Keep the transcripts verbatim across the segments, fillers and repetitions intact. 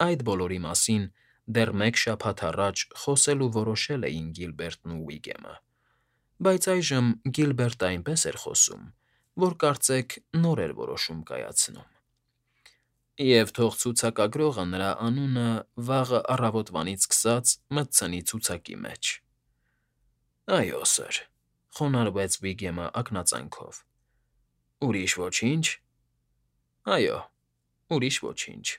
Այդ բոլորի մասին դեռ մեկ շաբաթ առաջ խոսել ու որոշել էին Գիլբերտն ու Ուիգեմը, բայց այժմ Գիլբերտը այնպես էր խոսում, որ կարծեք նոր էր որոշում կայացնում։ Եվ թող ցուցակագրողը նրա անունը վաղը առավոտվանից սկսած մտցնի ցուցակի մեջ։ ֊ Այո, սըր,֊ խոնարհվեց Վիգեմը ակնածանքով։ ֊ Ուրիշ ոչինչ։ ֊ Այո, ուրիշ ոչինչ,֊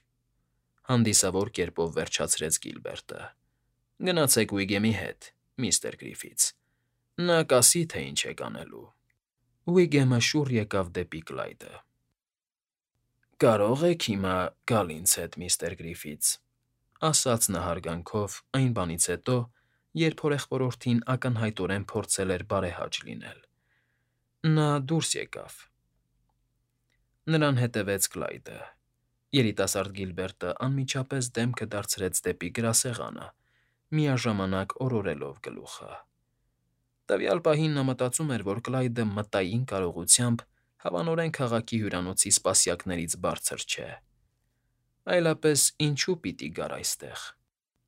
հանդիսավոր կերպով վերջացրեց Գիլբերտը։ ֊ Գնացեք Ուիգեմի հետ, միստր Գրիֆիթս, նա կասի, թե ինչ եք անելու։ Ուիգեմը շուռ եկավ դեպի Կլայդը։ ֊ Կարո՞ղ եք հիմա գալ ինձ հետ, միստր Գրիֆիթս,֊ ասաց նա հարգանքով այն բանից հետո, երբ հորեղբորորդին ակնհայտորեն փորձել էր բարեհաճ լինել։ Նա դուրս եկավ։ Նրան հետևեց Կլայդը։ Երիտասարդ Գիլբերտը անմիջապես դեմքը դարձրեց դեպի գրասեղանը, միաժամանակ օրորելով գլուխը։ Տվյալ պահին նա մտածում էր, որ Կլայդը մտային կարողությամբ հավանորեն քաղաքի հյուրանոցի սպասյակներից բարձր չէ։ Այլապես ինչու պիտի գար այստեղ։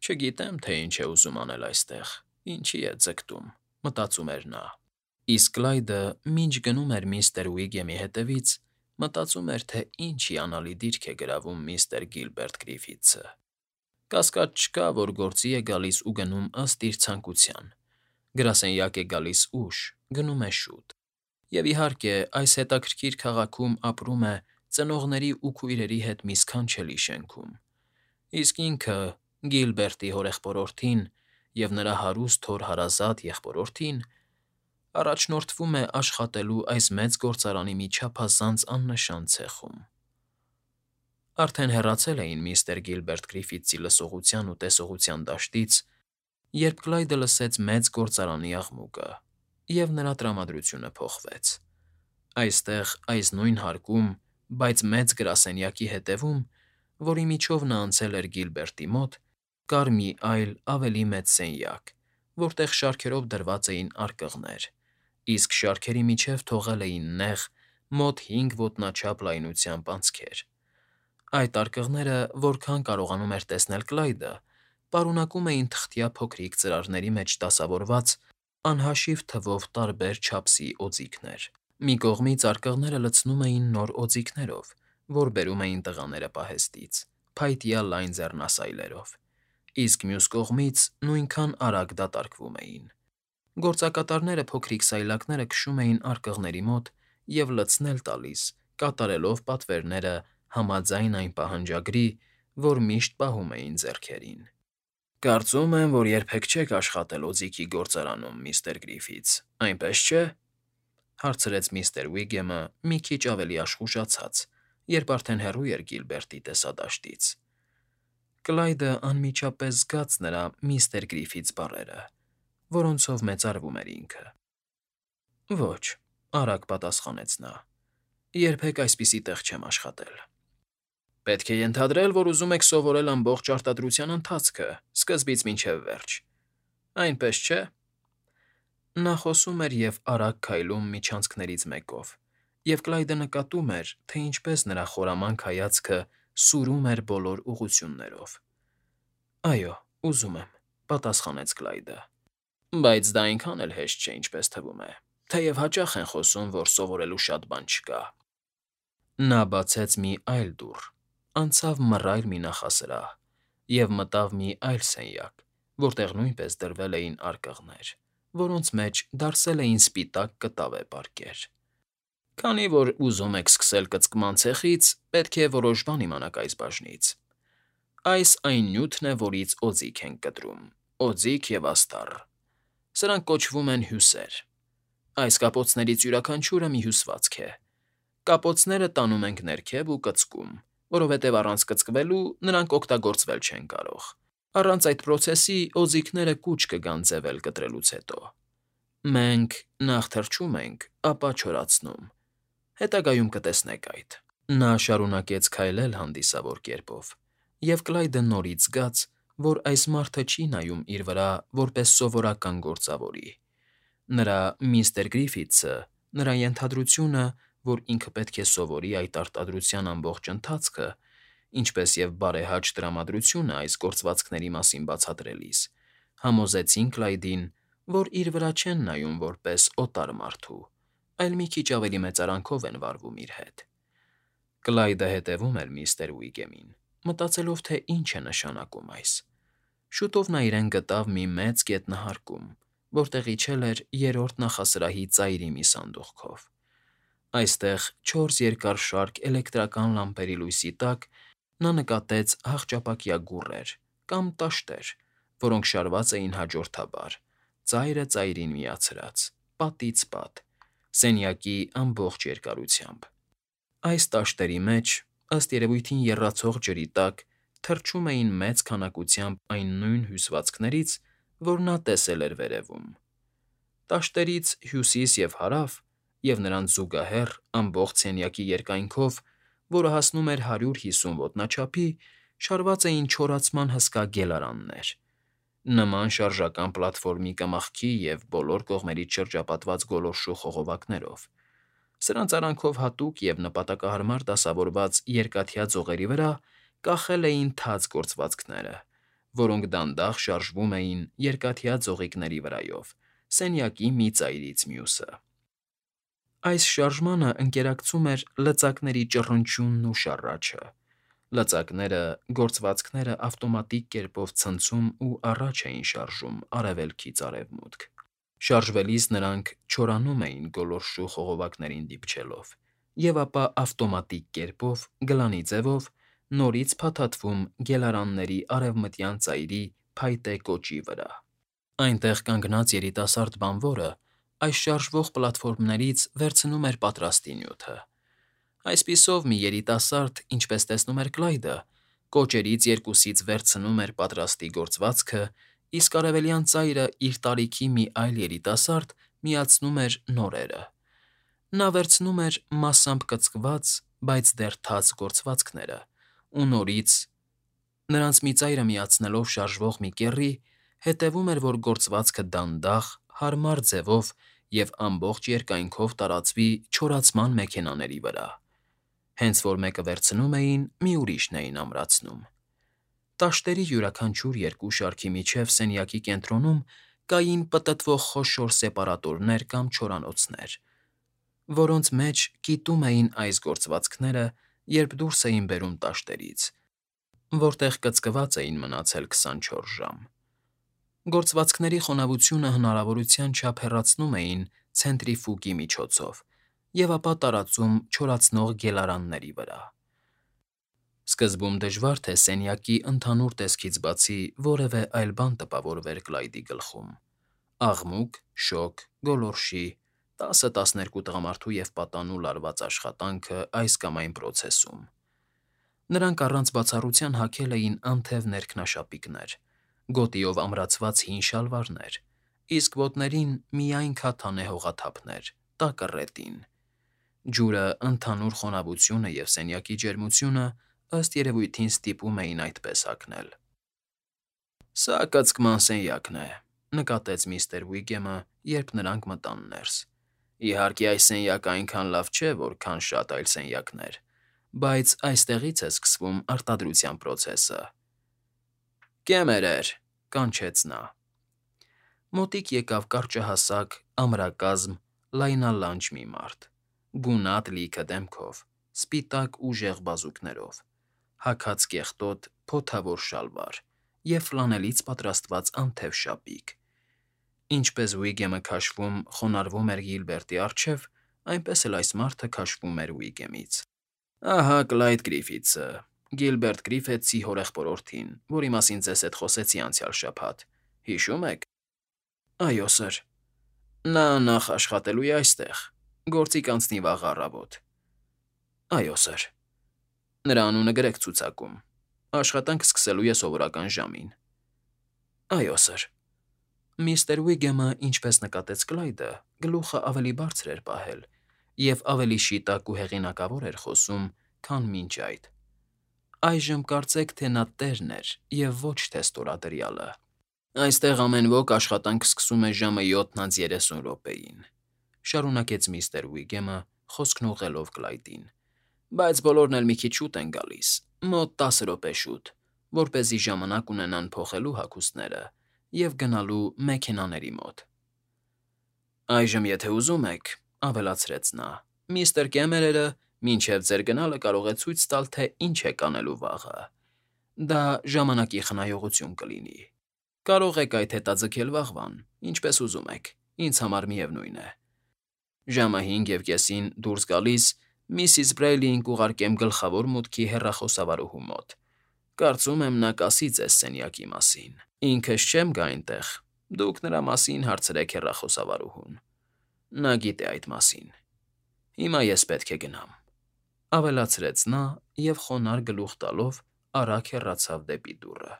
Չգիտեմ, թե ինչ է ուզում անել այստեղ, ինչի է ձգտում, մտածում էր նա։ Իսկ Կլայդը, մինչ գնում էր միստր Ուիգեմի հետևից, մտածում էր, թե ինչ հիանալի դիրք է գրավում միստր Գիլբերտ Գրիֆիթսը։ Կասկած չկա, որ գործի է գալիս ու գնում ըստ իր ցանկության։ Գրասենյակ է գալիս ուշ, գնում է շուտ։ Եվ իհարկե, այս հետաքրքիր քաղաքում ապրում է ծնողների ու քույրերի հետ մի սքանչելի շենքում։ Իսկ ինքը՝ Գիլբերտի հորեղբորորդին և նրա հարուստ հոր հարազատ եղբորորդին, առաջնորդվում է աշխատելու այս մեծ գործարանի մի չափազանց աննշան ցեխում։ Արդեն հեռացել էին միստր Գիլբերտ Գրիֆիթսի լսողության ու տեսողության դաշտից, երբ Կլայդը լսեց մեծ գործարանի աղմուկը, և նրա տրամադրությունը փոխվեց։ Այստեղ, այս նույն հարկում, բայց մեծ գրասենյակի հետևում, որի միջով նա անցել էր Գիլբերտի մոտ, կար մի այլ, ավելի մեծ սենյակ, որտեղ շարքերով դրված էին արկղներ, իսկ շարքերի միջև թողել էին նեղ, մոտ հինգ ոտնաչափ լայնությամբ անցքեր։ Այդ արկղները, որքան կարողանում էր տեսնել Կլայդը, պարունակում էին թղթյա փոքրիկ ծրարների մեջ դասավորված անհաշիվ թվով տարբեր չափսի օձիքներ։ Մի կողմից արկղները լցնում էին նոր օձիքներով, որ բերում էին տղաները պահեստից, փայտյա լայն ձեռնասայլերով, իսկ մյուս կողմից նույնքան արագ դատարկվում էին։ Գործակատարները փոքրիկ սայլակները քշում էին արկղների մոտ և լցնել տալիս, կատարելով պատվերները համաձայն այն պահանջագրի, որ միշտ պահում էին ձեռքերին։ ֊ Կարծում եմ, որ երբեք չեք աշխատել օձիքի գործարանում, միստր Գրիֆիթս, այնպես չէ՞, հարցրեց միստր Ուիգեմը մի քիչ ավելի աշխուժացած, երբ արդեն հեռու էր Գիլբերտի տեսադաշտից։ Կլայդը անմիջապես զգաց նրա միստր Գրիֆիթս բառերը, որոնցով մեծարվում էր ինքը։ ֊ Ոչ,֊ արագ պատասխանեց նա,֊ երբեք այսպիսի տեղ չեմ աշխատել։ ֊ Պետք է ենթադրել, որ ուզում եք սովորել ամբողջ արտադրության ընթացքը, սկզբից մինչև վերջ, այնպես չէ՞։ Նա խոսում էր և արագ քայլում միջանցքներից մեկով, և Կլայդը նկատում էր, թե ինչպես նրա խորամանկ հայացքը սուրում էր բոլոր ուղղություններով։ ֊ Այո, ուզում եմ,֊ պատասխանեց Կլայդը։ ֊ Բայց դա այնքան էլ հեշտ չէ, ինչպես թվում է, թեև հաճախ են խոսում, որ սովորելու շատ բան չկա։ Նա բացեց մի այլ դուռ, անցավ մռայլ մի նախասրահ և մտավ մի այլ սենյակ, որտեղ նույնպես դրվել էին արկղներ, որոնց մեջ դարսել էին սպիտակ կտավե պարկեր։ Քանի որ ուզում եք սկսել կծկման ցեխից, պետք է որոշ բան իմանաք այս բաժնից։ Այս այն նյութն է, որից օձիք ենք կտրում, օձիք և աստառ։ Սրանք կոչվում են հյուսեր։ Այս կապոցներից յուրաքանչյուրը մի հյուսվածք է։ Կապոցները տանում ենք ներքև ու կծկում, որովհետև առանց կծկվելու նրանք օգտագործվել չեն կարող։ Առանց այդ պրոցեսի օձիքները կուչ կգան ձևել կտրելուց հետո։ Մենք նախ թռչում ենք, ապա չորացնում։ Հետագայում կտեսնեք այդ։ Նա շարունակեց քայլել հանդիսավոր կերպով, և Կլայդը նորից զգաց, որ այս մարդը չի նայում իր վրա որպես սովորական գործավորի։ Նրա միստր Գրիֆիթսը, նրա ենթադրությունը, որ ինքը պետք է սովորի այդ արտադրության ամբողջ ընթացքը, ինչպես և բարեհաճ տրամադրությունը այս գործվածքների մասին բացատրելիս, համոզեցին Կլայդին, որ իր վրա չեն նայում որպես օտար մարդու, այլ մի քիչ ավելի մեծարանքով են վարվում իր հետ։ Կլայդը հետևում էր միստր Ուիգեմին, մտածելով, թե ինչ է նշանակում այս։ Շուտով նա իրեն գտավ մի մեծ գետնահարկում, որտեղ իջել էր երրորդ նախասրահի ծայրի մի սանդուղքով։ Այստեղ, չորս երկար շարք էլեկտրական լամպերի լույսի տակ, նա նկատեց հախճապակյա գուռեր կամ տաշտեր, որոնք շարված էին հաջորդաբար, ծայրը ծայրին միացրած, պատից պատ, սենյակի ամբողջ երկարությամբ։ Այս տաշտերի մեջ, ըստ երևույթին եռացող ջրի տակ, թռչում էին մեծ քանակությամբ այն նույն հյուսվածքներից, որ նա տեսել էր վերևում։ Տաշտերից հյուսիս և հարավ, և նրանց զուգահեռ ամբողջ սենյակի երկայնքով, որը հասնում էր հարյուր հիսուն ոտնաչափի, շարված էին չորացման հսկա գելարաններ, նման շարժական պլատֆորմի կմախքի և բոլոր կողմերից շրջապատված գոլորշու խողովակներով։ Սրանց արանքով հատուկ և նպատակահարմար դասավորված երկաթյա ձողերի վրա կախել էին թաց գործվածքները, որոնք դանդաղ շարժվում էին երկաթյա ձողիկների վրայով, սենյակի մի ծայրից մյուսը։ Այս շարժմանը ընկերակցում էր լծակների ճռնչյունն ու շառաչը։ Լծակները, գործվածքները ավտոմատիկ կերպով ցնցում ու առաջ էին շարժում արևելքից արևմուտք։ Շարժվելիս նրանք չորանում էին գոլորշու խողովակներին դիպչելով, և ապա ավտոմատիկ կերպով, գլանի ձևով, նորից փաթաթվում գելարանների արևմտյան ծայրի փայտե կոճի վրա։ Այնտեղ կանգնած երիտասարդ բանվորը այս շարժվող պլատֆորմներից վերցնում էր պատրաստի նյութը։ Այսպիսով, մի երիտասարդ, ինչպես տեսնում էր Կլայդը, կոճերից երկուսից վերցնում էր պատրաստի գործվածքը, իսկ արևելյան ծայրը իր տարիքի մի այլ երիտասարդ միացնում էր նորերը։ Նա վերցնում էր մասամբ կծկված, բայց դեռ թաց գործվածքները ու նորից, նրանց մի ծայրը միացնելով շարժվող մի կեռի, հետևում էր, որ գործվածքը դանդաղ, հարմար ձևով և ամբողջ երկայնքով տարածվի չորացման մեքենաների վրա։ Հենց որ մեկը վերցնում էին, մի ուրիշն էին ամրացնում։ Տաշտերի յուրաքանչյուր երկու շարքի միջև սենյակի կենտրոնում կային պտտվող խոշոր սեպարատորներ կամ չորանոցներ, որոնց մեջ կիտում էին այս գործվածքները, երբ դուրս էին բերում տաշտերից, որտեղ կծկված էին մնացել քսանչորս ժամ։ Գործվածքների խոնավությունը հնարավորության չափ հեռացնում էին ցենտրիֆուգի միջոցով և ապա տարածում չորացնող գելարանների վրա։ Սկզբում դժվար թե սենյակի ընդհանուր տեսքից բացի որևէ այլ բան տպավորվեր Կլայդի գլխում՝ աղմուկ, շոգ, գոլորշի, տասը֊տասներկու տղամարդու և պատանու լարված աշխատանքը այս կամ այն պրոցեսում։ Նրանք առանց բացառության հագել էին անթև ներքնաշապիկներ, գոտիով ամրացված հին շալվարներ, իսկ ոտներին միայն քաթանե հողաթափներ, տակը ռետին։ Ջուրը, ընդհանուր խոնավությունը և սենյակի ջերմությունը, ըստ երևույթին, ստիպում էին այդպես հագնել։ «Սա կծկման սենյակն է», ֊ նկատեց միստր Ուիգեմը, երբ նրանք մտան ներս։ «Իհարկե, այս սենյակը այնքան լավ չէ, որքան շատ այլ սենյակներ, բայց այստեղից է սկսվում արտադրության պրոցեսը»։ «Կեմերեր», ֊ կանչեց նա։ Մոտիկ եկավ կարճահասակ, ամրակազմ, լայնալանջ մի մարդ, գունատ լիքը դեմքով, սպիտակ ուժեղ բազուկներով, հագած կեղտոտ, փոթավոր շալվար և ֆլանելից պատրաստված անթև շապիկ։ Ինչպես Ուիգեմը քաշվում, խոնարհվում էր Գիլբերտի առջև, այնպես էլ այս մարդը քաշվում էր Ուիգեմից։ «Ահա Կլայդ Գրիֆիթսը, Գիլբերտ Գրիֆիթսի հորեղբորորդին, որի մասին ձեզ հետ խոսեցի անցյալ շաբաթ, հիշո՞ւմ եք»։ «Այո, սըր»։ «Նա նախ աշխատելու է այստեղ, գործի կանցնի վաղը առավոտ»։ «Այո, սըր»։ «Նրա անունը գրեք ցուցակում, աշխատանք սկսելու է սովորական ժամին»։ «Այո, սըր»։ Միստր Ուիգեմը, ինչպես նկատեց Կլայդը, գլուխը ավելի բարձր էր պահել և ավելի շիտակ ու հեղինակավոր էր խոսում, քան մինչ այդ։ Այժմ կարծեք, թե նա տերն էր և ոչ թե ստորադրյալը։ «Այստեղ ամեն ոք աշխատանք սկսում է ժամը յոթն անց երեսուն րոպեին», ֊ շարունակեց միստր Ուիգեմը, խոսքն ուղղելով Կլայդին, «բայց բոլորն էլ մի քիչ շուտ են գալիս, Մոտ տասը րոպե շուտ, որպեսզի ժամանակ ունենան փոխելու հագուստները և գնալու մեքենաների մոտ։ ֊ Այժմ, եթե ուզում եք,֊ ավելացրեց նա,֊ միստր Կեմերերը մինչև ձեր գնալը կարող է ցույց տալ, թե ինչ եք անելու վաղը. դա ժամանակի խնայողություն կլինի։ Կարող եք այդ հետաձգել վաղվան, ինչպես ուզում եք, ինձ համար միևնույն է։ Ժամը հինգ և կեսին դուրս գալիս միսիս Բրեյլիին կուղարկեմ գլխավոր մուտքի հեռախոսավարուհու մոտ։ Կարծում եմ, նա կասի ձեզ սենյակի մասին։ Ինքս չեմ գա այնտեղ, դուք նրա մասին հարցրեք հեռախոսավարուհուն. նա գիտե այդ մասին։ Հիմա ես պետք է գնամ,֊ ավելացրեց նա և խոնարհ գլուխ տալով արագ հեռացավ դեպի դուռը։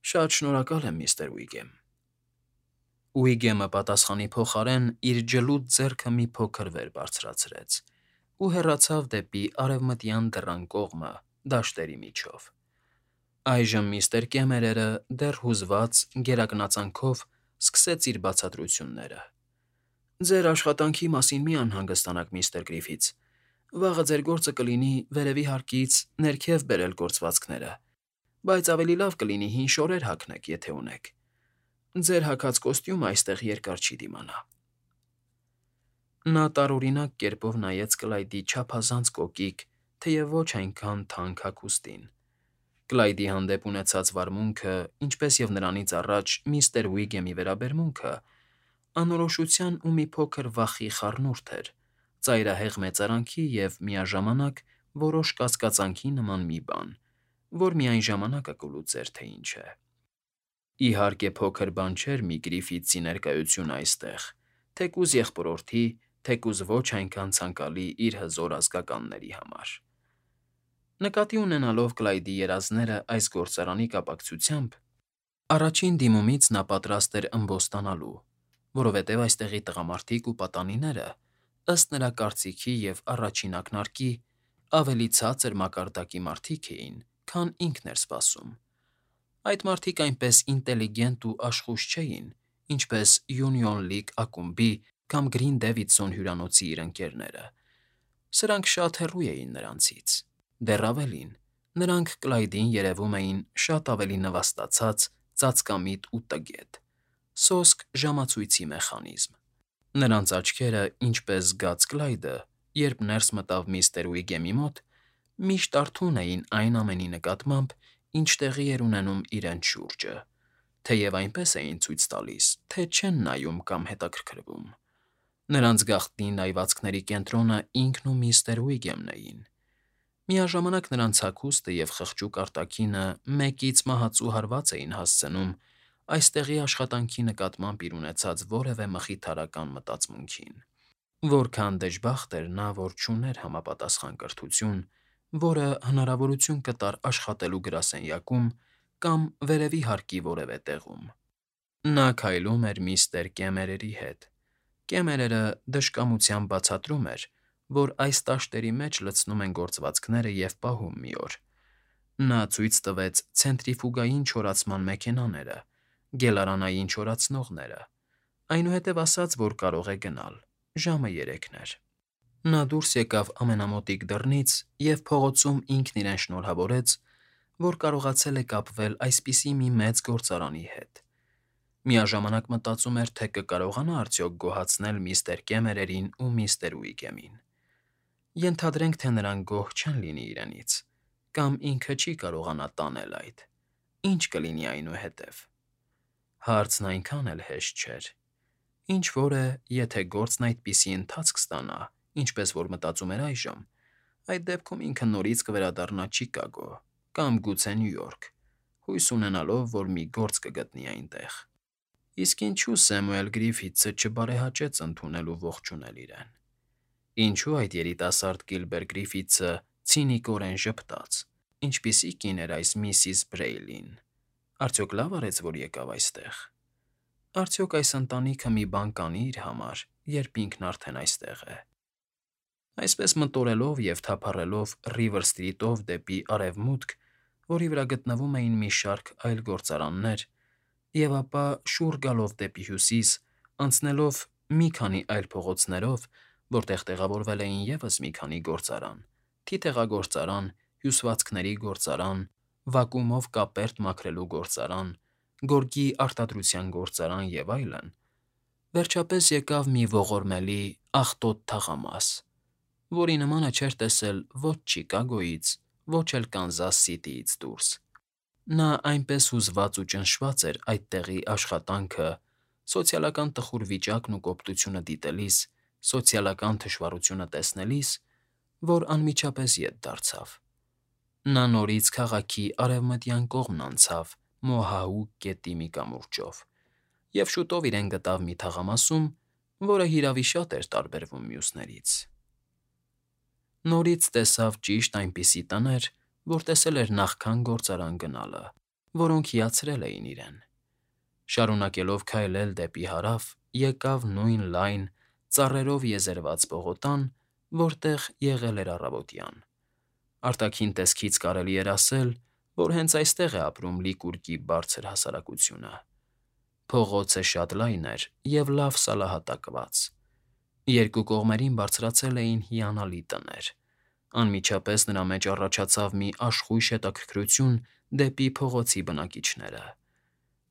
Շատ շնորհակալ եմ, միստր Ուիգեմ։ Ուիգեմը պատասխանի փոխարեն իր ջլուտ ձեռքը մի փոքր վեր բարձրացրեց ու հեռացավ դեպի արևմտյան դռան կողմը դաշտերի միջով։ Այժմ միստր Կեմերերը դեռ հուզված գերակնածանքով սկսեց իր բացատրությունները. «Ձեր աշխատանքի մասին մի անհանգստանաք, միստր Գրիֆիթս, վաղը ձեր գործը կլինի վերևի հարկից ներքև բերել գործվածքները, բայց ավելի լավ կլինի հին շորեր հագնեք, եթե ունեք։ Ձեր հագած կոստյումն այստեղ երկար չի դիմանա»։ Նա տարօրինակ կերպով նայեց Կլայդի չափազանց կոկիկ, թեև ոչ այնքան թանկ հագուստին։ Կլայդի հանդեպ ունեցած վարմունքը, ինչպես և նրանից առաջ միստր Ուիգեմի վերաբերմունքը, անորոշության ու մի փոքր վախի խառնուրդ էր, ծայրահեղ մեծարանքի և, միաժամանակ, որոշ կասկածանքի նման մի բան, որ միայն ժամանակը կլուծեր, թե ինչ է։ Իհարկե, փոքր բան չէր մի Գրիֆիթսի ներկայությունը այստեղ, թեկուզ եղբորորդի, թեկուզ ոչ այնքան ցանկալի իր հզոր ազգականների համար։ Նկատի ունենալով Կլայդի երազները այս գործարանի կապակցությամբ, առաջին դիմումից նա պատրաստ էր ըմբոստանալու, որովհետև այստեղի տղամարդիկ ու պատանիները, ըստ նրա կարծիքի և առաջին ակնարկի, ավելի ցածր մակարդակի մարդիկ էին, քան ինքն էր սպասում։ Այդ մարդիկ այնպես ինտելիգենտ ու աշխույժ չէին, ինչպես Յունիոն Լիգ ակումբի կամ Գրին Դեվիդսոն հյուրանոցի իր ընկերները։ Սրանք շատ հեռու էին նրանցից։ Դեռ ավելին, նրանք Կլայդին երևում էին շատ ավելի նվաստացած, ծածկամիտ ու տգետ՝ սոսկ ժամացույցի մեխանիզմ։ Նրանց աչքերը, ինչպես զգաց Կլայդը, երբ ներս մտավ միստր Ուիգեմի մոտ, միշտ արթուն էին այն ամենի նկատմամբ, ինչ տեղի էր ունենում իրենց շուրջը, թեև այնպես էին ցույց տալիս, թե չեն նայում կամ հետաքրքրվում։ Նրանց գաղտնի նայվածքների կենտրոնը ինքն ու միստր Ուիգեմն էին։ Միաժամանակ նրանց հագուստը և խղճուկ արտաքինը մեկից մահացու հարված էին հասցնում այստեղի աշխատանքի նկատմամբ իր ունեցած որևէ մխիթարական մտածմունքին։ Որքան դժբախտ էր նա, որ չուներ համապատասխան կրթություն, որը հնարավորություն կտար աշխատելու գրասենյակում կամ վերևի հարկի որևէ տեղում։ Նա քայլում էր միստր Կեմերերի հետ։ Կեմերերը դժկամությամբ բացատրում էր, որ այս տաշտերի մեջ լցնում են գործվածքները և պահում մի օր։ Նա ցույց տվեց ցենտրիֆուգային չորացման մեքենաները, գելարանային չորացնողները, այնուհետև ասաց, որ կարող է գնալ, ժամը երեքն էր։ Նա դուրս եկավ ամենամոտիկ դռնից և փողոցում ինքն իրեն շնորհավորեց, որ կարողացել է կապվել այսպիսի մի մեծ գործարանի հետ։ Միաժամանակ մտածում էր, թե կկարողանա արդյոք գոհացնել միստր Կեմերերին ու միստր Ուիգեմին։ Ենթադրենք, թե նրանք գոհ չեն լինի իրենից, կամ ինքը չի կարողանա տանել այդ, ի՞նչ կլինի այնուհետև։ Հարցն այնքան էլ հեշտ չէր։ Ինչ֊որ է, եթե գործն այդպիսի ընթացք ստանա, ինչպես որ մտածում էր այժմ, այդ դեպքում ինքը նորից կվերադառնա Չիկագո կամ գուցե Նյու Յորք, հույս ունենալով, որ մի գործ կգտնի այնտեղ։ Իսկ ինչու Սեմուել Գրիֆիթսը չբարեհաճեց ընդունել ու ողջունել իրեն։ Ինչու այդ երիտասարդ Կիլբեր Գրիֆիթսը ցինիկորեն ժպտաց, ինչպիսի կին էր այս միսիս Բրեյլին։ Արդյոք լավ արեց, որ եկավ այստեղ։ Արդյոք այս ընտանիքը մի բան կանի իր համար, երբ ինքն արդեն այստեղ է։ Այսպես մտորելով և թափառելով Ռիվեր Սթրիթով դեպի արևմուտք, որի վրա գտնվում էին մի շարք այլ գործարաններ, և ապա շուռ գալով դեպի հյուսիս, անցնելով մի քանի այլ փողոցներով, որտեղ տեղավորվել էին ևս մի քանի գործարան՝ թիթեղագործարան, հյուսվածքների գործարան, վակուումով կապերտ մաքրելու գործարան, գորգի արտադրության գործարան և այլն, վերջապես եկավ մի ողորմելի, աղտոտ թաղամաս, որի նմանը չէր տեսել ոչ Չիկագոյից, ոչ էլ Կանզաս Սիթիից դուրս. նա այնպես հուզված ու ճնշված էր այդ տեղի աշխատանքը, սոցիալական տխուր վիճակն ու կոպտությունը դիտելիս, սոցիալական թշվառությունը տեսնելիս, որ անմիջապես ետ դարձավ. նա նորից քաղաքի արևմտյան կողմն անցավ Մոհահուկ գետի մի կամուրջով և շուտով իրեն գտավ մի թաղամասում, որը հիրավի շատ էր տարբերվում մյուսներից. Նորից տեսավ ճիշտ այնպիսի տներ, որ տեսել էր նախքան գործարան գնալը, որոնք հիացրել էին իրեն. շարունակելով քայլել դեպի հարավ, եկավ նույն լայն, ծառերով եզերված պողոտան, որտեղ եղել էր առավոտյան. արտաքին տեսքից կարելի էր ասել, որ հենց այստեղ է ապրում Լիկուրգի բարձր հասարակությունը. փողոցը շատ լայն էր և լավ սալահատակված. երկու կողմերին բարձրացել էին հիանալի տներ. անմիջապես նրա մեջ առաջացավ մի աշխույժ հետաքրքրություն դեպի փողոցի բնակիչները.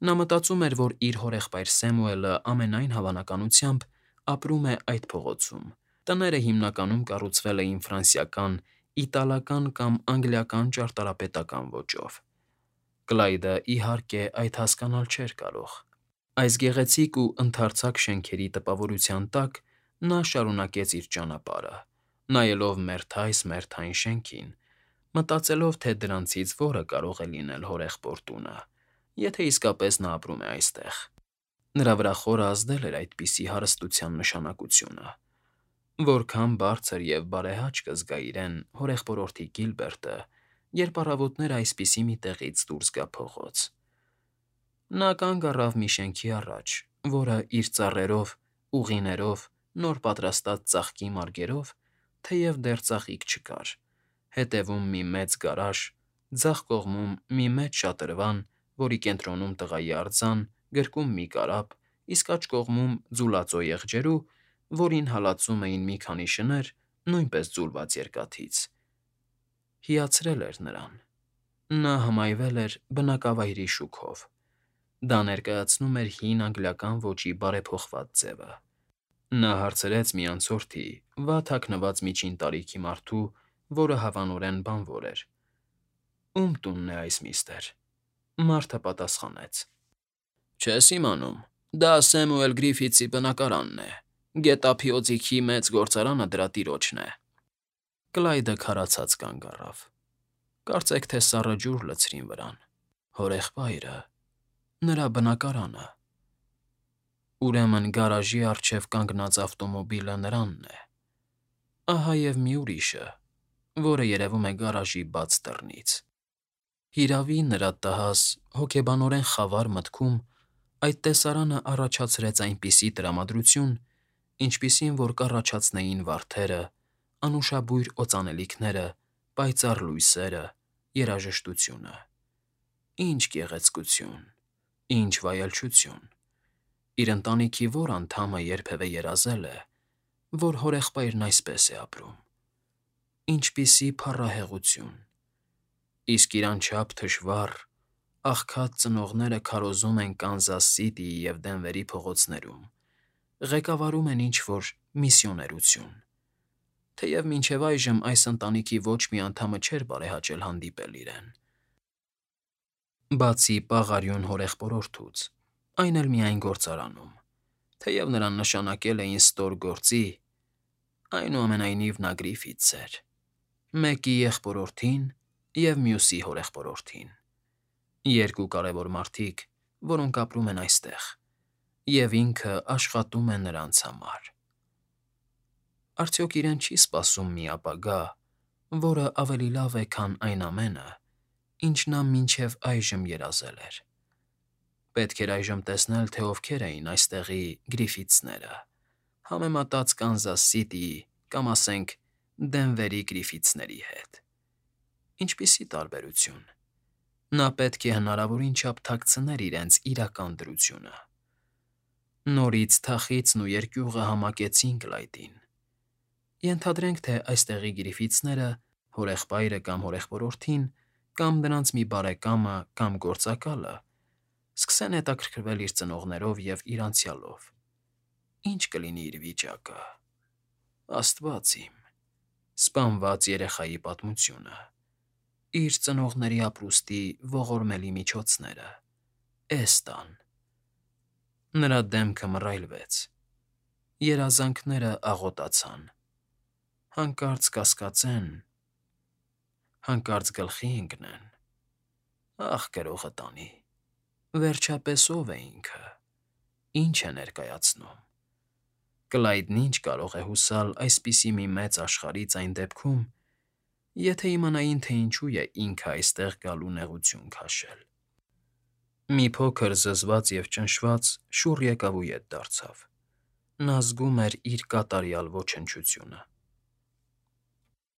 նա մտածում էր, որ իր հորեղբայր Սեմուելը ամենայն հավանականությամբ ապրում է այդ փողոցում. տները հիմնականում կառուցվել էին ֆրանսիական, իտալական կամ անգլիական ճարտարապետական ոճով. Կլայդը, իհարկե, այդ հասկանալ չէր կարող. Այս գեղեցիկ ու ընդարձակ շենքերի տպավորության տակ նա շարունակեց իր ճանապարհը, նայելով մերթ-այս մերթ այն շենքին, մտածելով, թե դրանցից որը կարող է լինել հորեղբոր տունը, եթե իսկապես նա ապրում է այստեղ. նրա վրա խորը ազդել էր այդպիսի հարստության նշանակությունը. որքան բարձր և բարեհաճ կզգա իրեն հորեղբորորդի Գիլբերտը, երբ առավոտները այսպիսի մի տեղից դուրս գա փողոց. Նա կանգ առավ մի շենքի առաջ, որը իր ծառերով, ուղիներով, նոր պատրաստած ծաղկի մարգերով, թեև դեռ ծաղիկ չկար, հետևում մի մեծ գարաժ, ձախ կողմում մի մեծ շատրվան, որի կենտրոնում տղայի արձան, գրկում մի կարապ, իսկ աջ կողմում ձուլածո եղջերու, որին հալածում էին մի քանի շներ, նույնպես ձուլված երկաթից, հիացրել էր նրան. նա հմայվել էր բնակավայրի շուքով. դա ներկայացնում էր հին անգլիական ոճի բարեփոխված ձևը. Նա հարցրեց մի անցորդի, վատ հագնված միջին տարիքի մարդու, որը հավանորեն բանվոր էր. Ո՞ւմ տունն է այս, միստր. Մարդը պատասխանեց. Չես իմանում, դա Սեմուել Գրիֆիթսի բնակարանն է, գետափի օձիքի մեծ գործարանը դրա տիրոջն է. Կլայդը քարացած կանգ առավ. Կարծեք թե սառը ջուր լցրին վրան. հորեղբայրը, նրա բնակարանը. ուրեմն գարաժի առջև կանգնած ավտոմոբիլը նրանն է. ահա և մի ուրիշը, որը երևում է գարաժի բաց դռնից. հիրավի, նրա տհաս, հոգեբանորեն խավար մտքում այդ տեսարանը առաջացրեց այնպիսի տրամադրություն, ինչպիսին որ կառաջացնեին վարդերը, անուշաբույր օծանելիքները, պայծառ լույսերը, երաժշտությունը. ինչ գեղեցկություն, ինչ վայելչություն. իր ընտանիքի ո՞ր անդամը երբևէ երազել է, որ հորեղբայրն այսպես է ապրում. ինչպիսի փառահեղություն, իսկ իր անչափ թշվառ, աղքատ ծնողները քարոզում են Կանզաս Սիթիի և Դենվերի փողոցներում, ղեկավարում են ինչ-որ միսիոներություն, թեև մինչև այժմ այս ընտանիքի ոչ մի անդամը չէր բարեհաճել հանդիպել իրեն. Բացի պաղարյուն հորեղբորորդուց, այն էլ միայն գործարանում, թեև նրան նշանակել էին ստոր գործի, այնուամենայնիվ նա Գրիֆիթս էր, մեկի եղբորորդին և մյուսի հորեղբորորդին, երկու կարևոր մարդիկ, որոնք ապրում են այստեղ, և ինքը աշխատում է նրանց համար. Արդյոք իրեն չի՞ սպասում մի ապագա, որը ավելի լավ է, քան այն ամենը, ինչ նա մինչև այժմ երազել էր. պետք էր այժմ տեսնել, թե ովքեր էին այստեղի Գրիֆիթսները, համեմատած Կանզաս Սիթիի կամ, ասենք, Դենվերի Գրիֆիթսների հետ. ինչպիսի տարբերություն, նա պետք է հնարավորին չափ թաքցներ իրենց իրական դրությունը. Նորից թախիծն ու երկյուղը համակեցին Կլայդին. ենթադրենք, թե այստեղի Գրիֆիթսները հորեղբայրը կամ հորեղբորորդին, կամ նրանց մի բարեկամը կամ գործակալը սկսեն հետաքրքրվել իր ծնողներով և իր անցյալով, ի՞նչ կլինի իր վիճակը… Աստված իմ… Սպանված երեխայի պատմությունը, իր ծնողների ապրուստի ողորմելի միջոցները, էս֊տան… Նրա դեմքը մռայլվեց, երազանքները աղոտացան, հանկարծ կասկածեն, հանկարծ գլխի ընկնեն… Ախ, գրողը տանի… Վերջապես ո՞վ է ինքը, ի՞նչ է ներկայացնում… Կլայդն ի՞նչ կարող է հուսալ այսպիսի մի մեծ աշխարհից այն դեպքում, եթե իմանային, թե ինչու է ինքը այստեղ գալու նեղություն քաշել… Մի փոքր զզված և ճնշված շուռ եկավ ու ետ դարձավ. նա զգում էր իր կատարյալ ոչնչությունը։